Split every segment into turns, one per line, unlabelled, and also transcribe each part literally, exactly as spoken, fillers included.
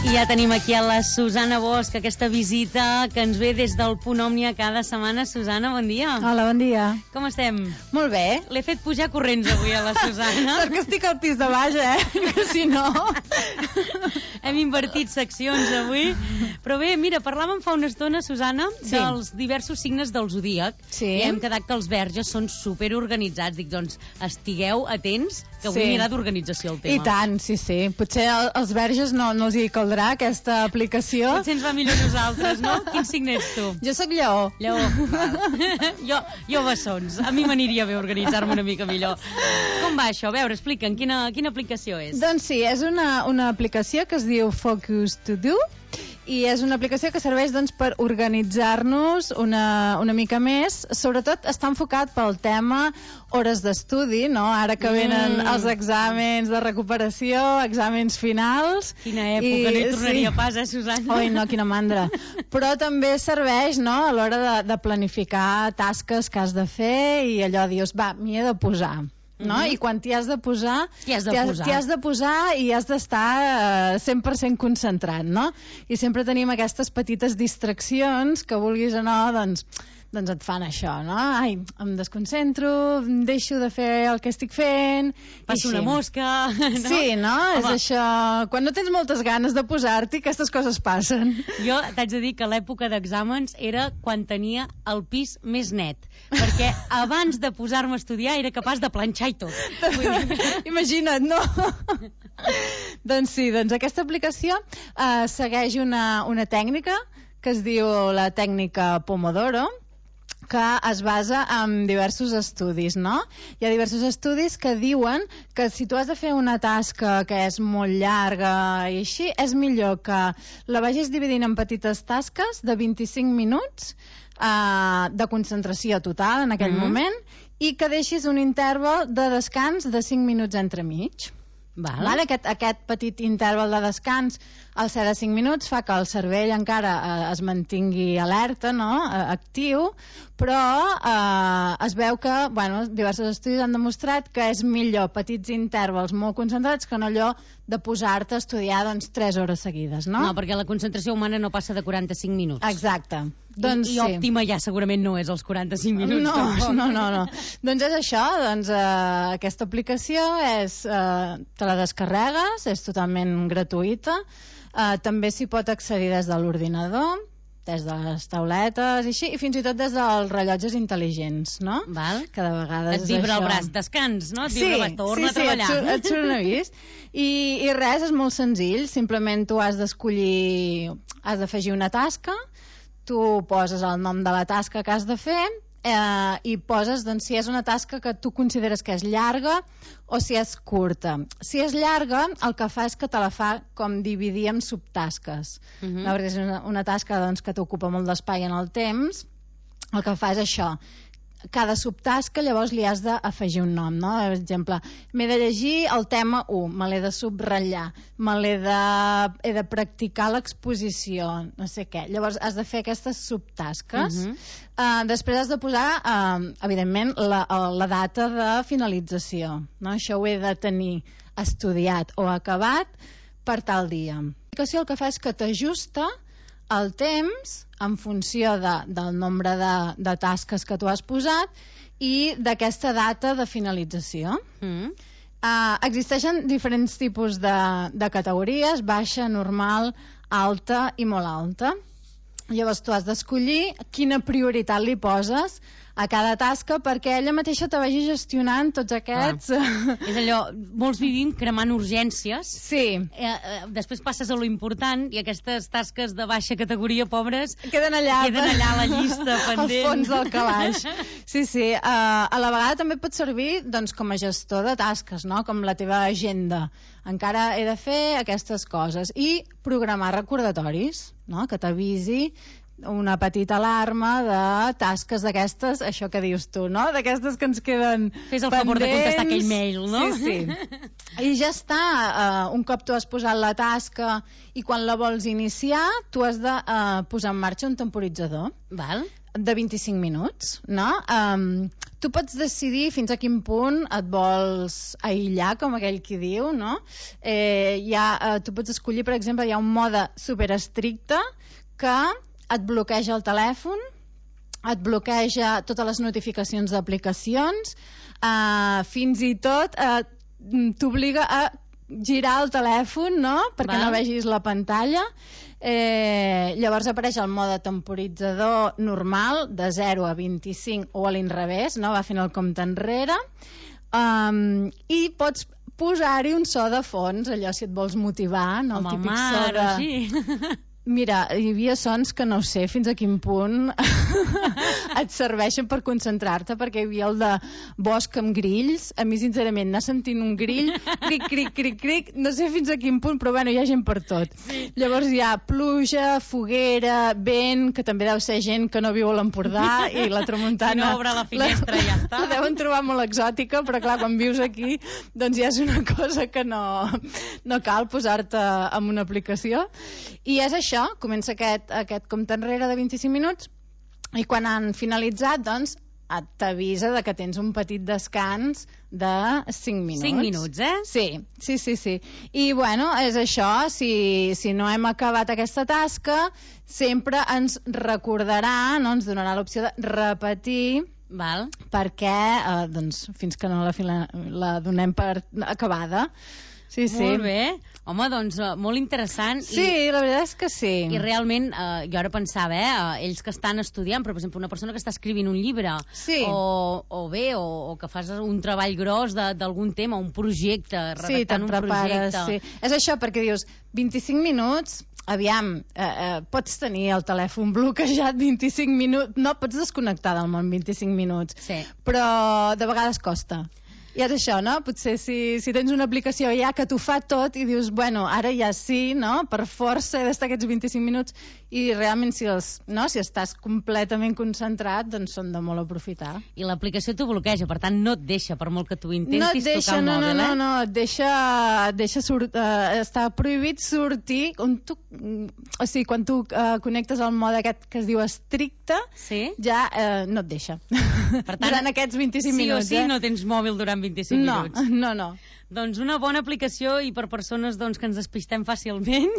I ja tenim aquí a la Susana Bosch, aquesta visita que ens ve des del Punt Òmnia cada setmana. Susana, bon dia.
Hola, bon dia.
Com estem?
Molt bé.
L'he fet pujar corrents avui a la Susana.
Perquè estic al pis de baix, eh? Que si no...
Hem invertit seccions avui. Però bé, mira, parlàvem fa una estona, Susana,
sí.
dels diversos signes del zodíac.
Sí.
I hem quedat que els verges són superorganitzats. Dic, doncs, estigueu atents, que avui
sí.
anirà d'organització el tema.
I tant, sí, sí. Potser als verges no, no els hi caldrà aquesta aplicació.
Potser ens va millor nosaltres, no? Quin signe ets tu?
Jo sóc lleó.
Lleó, val. jo, jo bessons. A mi m'aniria bé organitzar-me una mica millor. Com va això? A veure, explica'm, quina, quina aplicació és?
Doncs sí, és una, una aplicació que es diu Focus To Do, i és una aplicació que serveix doncs, per organitzar-nos una, una mica més. Sobretot està enfocat pel tema hores d'estudi, no? Ara que venen mm. els exàmens de recuperació, exàmens finals.
Quina època, I, no hi tornaria sí. pas, eh, Susana?
Oi, no, quina mandra. Però també serveix, no?, a l'hora de, de planificar tasques que has de fer i allò dius, va, m'hi he de posar. No? Uh-huh. I quan t'hi has de posar
t'hi has de
t'hi has,
posar,
t'hi has de posar i has d'estar uh, cent per cent concentrat, no? I sempre tenim aquestes petites distraccions que vulguis o no, doncs doncs et fan això, no? Ai, em desconcentro, deixo de fer el que estic fent...
Passo una mosca... No?
Sí, no? Home. És això... Quan no tens moltes ganes de posar-t'hi, aquestes coses passen.
Jo t'haig de dir que l'època d'exàmens era quan tenia el pis més net, perquè abans de posar-me a estudiar era capaç de planxar i tot.
Imagina't, no? Doncs sí, doncs aquesta aplicació eh, segueix una, una tècnica que es diu la tècnica Pomodoro, que es basa en diversos estudis, no? Hi ha diversos estudis que diuen que si tu has de fer una tasca que és molt llarga i així, és millor que la vagis dividint en petites tasques de vint-i-cinc minuts eh, de concentració total en aquell mm-hmm. moment, i que deixis un interval de descans de cinc minuts entremig.
Val.
Val? Aquest, aquest petit interval de descans, al ser de cinc minuts, fa que el cervell encara eh, es mantingui alerta, no? eh, actiu, però eh, es veu que, bueno, diversos estudis han demostrat que és millor petits intervals molt concentrats que no allò de posar-te a estudiar doncs, tres hores seguides, no?
No, perquè la concentració humana no passa de quaranta-cinc minuts.
Exacte.
I,
doncs,
i òptima ja segurament no és els quaranta-cinc minuts.
No,
tampoc.
no, no, no. Doncs és això, doncs eh, aquesta aplicació és, eh, te la descarregues, és totalment gratuïta, eh, també s'hi pot accedir des de l'ordinador, des de les tauletes i així, i fins i tot des dels rellotges intel·ligents, no?
Val.
Que de vegades
et vibra
això...
el braç, descans, no? Et
sí,
vibra el braç, torna
sí,
a treballar.
Sí, et, et surt un avís. I, I res, és molt senzill, simplement tu has d'escollir, has d'afegir una tasca, tu poses el nom de la tasca que has de fer eh, i poses doncs, si és una tasca que tu consideres que és llarga o si és curta. Si és llarga, el que fa és que te la fa com dividir en subtasques. Uh-huh. No, perquè és una, una tasca doncs, que t'ocupa molt d'espai en el temps, el que fa és això. Cada subtasca llavors li has d'afegir un nom, no? Per exemple, m'he de llegir el tema u, me l'he de subratllar, me l'he de, he de practicar l'exposició, no sé què. Llavors has de fer aquestes subtasques. Uh-huh. uh, després has de posar, uh, evidentment, la, la data de finalització, no? Això ho he de tenir estudiat o acabat per tal dia. L'aplicació el que fa és que t'ajusta el temps en funció de, del nombre de, de tasques que tu has posat i d'aquesta data de finalització. Mm. Uh, existeixen diferents tipus de, de categories, baixa, normal, alta i molt alta. Llavors tu has d'escollir quina prioritat li poses a cada tasca perquè ella mateixa te vagi gestionant tots aquests...
Ah. És allò, molts vivim cremant urgències.
Sí.
Eh, eh, després passes a lo important i aquestes tasques de baixa categoria, pobres,
queden allà,
queden allà a la llista pendent.
Al fons del calaix. Sí, sí. Uh, a la vegada també pot servir doncs, com a gestor de tasques, no? Com la teva agenda. Encara he de fer aquestes coses. I programar recordatoris, no? Que t'avisi una petita alarma de tasques d'aquestes, això que dius tu, no? D'aquestes que ens queden
Fes el
pendents.
favor de contestar aquell mail, no?
Sí, sí. I ja està. Uh, un cop tu has posat la tasca i quan la vols iniciar, tu has de uh, posar en marxa un temporitzador.
Val.
de vint-i-cinc minuts, no? Um, tu pots decidir fins a quin punt et vols aïllar, com aquell qui diu, no? Eh, hi ha, uh, tu pots escollir, per exemple, hi ha un mode superestricte que et bloqueja el telèfon, et bloqueja totes les notificacions d'aplicacions, uh, fins i tot uh, t'obliga a girar el telèfon, no?, perquè
Val.
no vegis la pantalla. Eh, llavors apareix el mode temporitzador normal de zero a vint-i-cinc o a l'inrevés, no? Va fent el compte enrere, um, i pots posar-hi un so de fons, allò si et vols motivar, no?
Com
El
el
típic
mar,
so de...
o així.
Mira, hi havia sons que no sé fins a quin punt et serveixen per concentrar-te, perquè hi havia el de bosc amb grills. A mi, sincerament, anar sentint un grill, cric, cric, cric, cric, no sé fins a quin punt, però bueno, hi ha gent per tot. Sí. Llavors hi ha pluja, foguera, vent, que també deu ser gent que no viu a l'Empordà, i la tramuntana...
Si no obre la finestra,
la,
ja està.
La deuen trobar molt exòtica, però clar, quan vius aquí, doncs ja és una cosa que no, no cal posar-te en una aplicació. I és això, comença aquest, aquest compte enrere de vint-i-cinc minuts, i quan han finalitzat, doncs, et t'avisa de que tens un petit descans de cinc minuts.
cinc minuts, eh?
Sí, sí, sí, sí. I, bueno, és això, si, si no hem acabat aquesta tasca, sempre ens recordarà, no? Ens donarà l'opció de repetir.
Val.
Perquè, eh, doncs, fins que no la, fila, la donem per acabada. Sí, sí.
Molt bé. Home, doncs, uh, molt interessant.
Sí,
i,
la veritat és que sí.
I realment, uh, jo ara pensava, eh, uh, ells que estan estudiant, però, per exemple, una persona que està escrivint un llibre,
sí.
o, o bé, o, o que fas un treball gros d'algun tema, un projecte, redactant
sí,
un projecte...
Sí, és això, perquè dius, vint-i-cinc minuts... Aviam, eh, eh, pots tenir el telèfon bloquejat vint-i-cinc minuts, no pots desconnectar del món vint-i-cinc minuts,
sí.
Però de vegades costa. I és això, no? Potser si, si tens una aplicació ja que t'ho fa tot i dius, bueno, ara ja sí, no? Per força he d'estar aquests vint-i-cinc minuts, i realment si, els, no? si estàs completament concentrat, doncs són de molt aprofitar.
I l'aplicació t'ho bloqueja, per tant no et deixa, per molt que tu intentis
no et deixa,
tocar el
no,
mòbil,
no,
eh?
no, no, et deixa, et deixa sort, uh, està prohibit sortir on tu, o sigui, quan tu uh, connectes al mode aquest que es diu estricte,
sí?
ja uh, no et deixa.
Per tant,
durant aquests vint-i-cinc
sí
minuts.
Sí o sí
eh?
no tens mòbil durant vint-i-cinc
no,
minuts.
No, no,
Doncs una bona aplicació, i per persones doncs, que ens despistem fàcilment,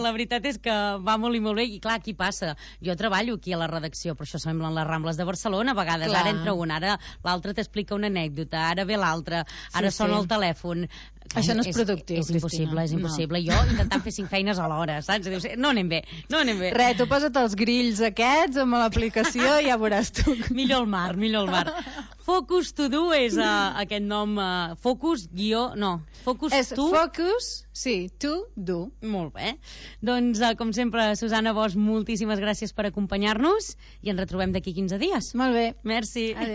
la veritat és que va molt i molt bé. I clar, aquí passa, jo treballo aquí a la redacció, però això semblen les Rambles de Barcelona, a vegades clar. Ara entra un, ara l'altre t'explica una anècdota, ara ve l'altre, ara sí, sona sí. el telèfon.
Això no és productiu,
és, és impossible,
Cristina.
és impossible. No. Jo intentant fer cinc feines alhora, saps? Dius, no anem bé, no anem bé.
Res, tu posa't els grills aquests amb l'aplicació i ja veuràs tu.
Millor el mar, millor el mar. Focus to do és uh, aquest nom, uh, Focus guió, no, Focus
és
to...
Focus, sí, to do.
Molt bé. Doncs, uh, com sempre, Susana Bosch, moltíssimes gràcies per acompanyar-nos i ens retrobem d'aquí quinze dies.
Molt bé.
Merci.
Adéu.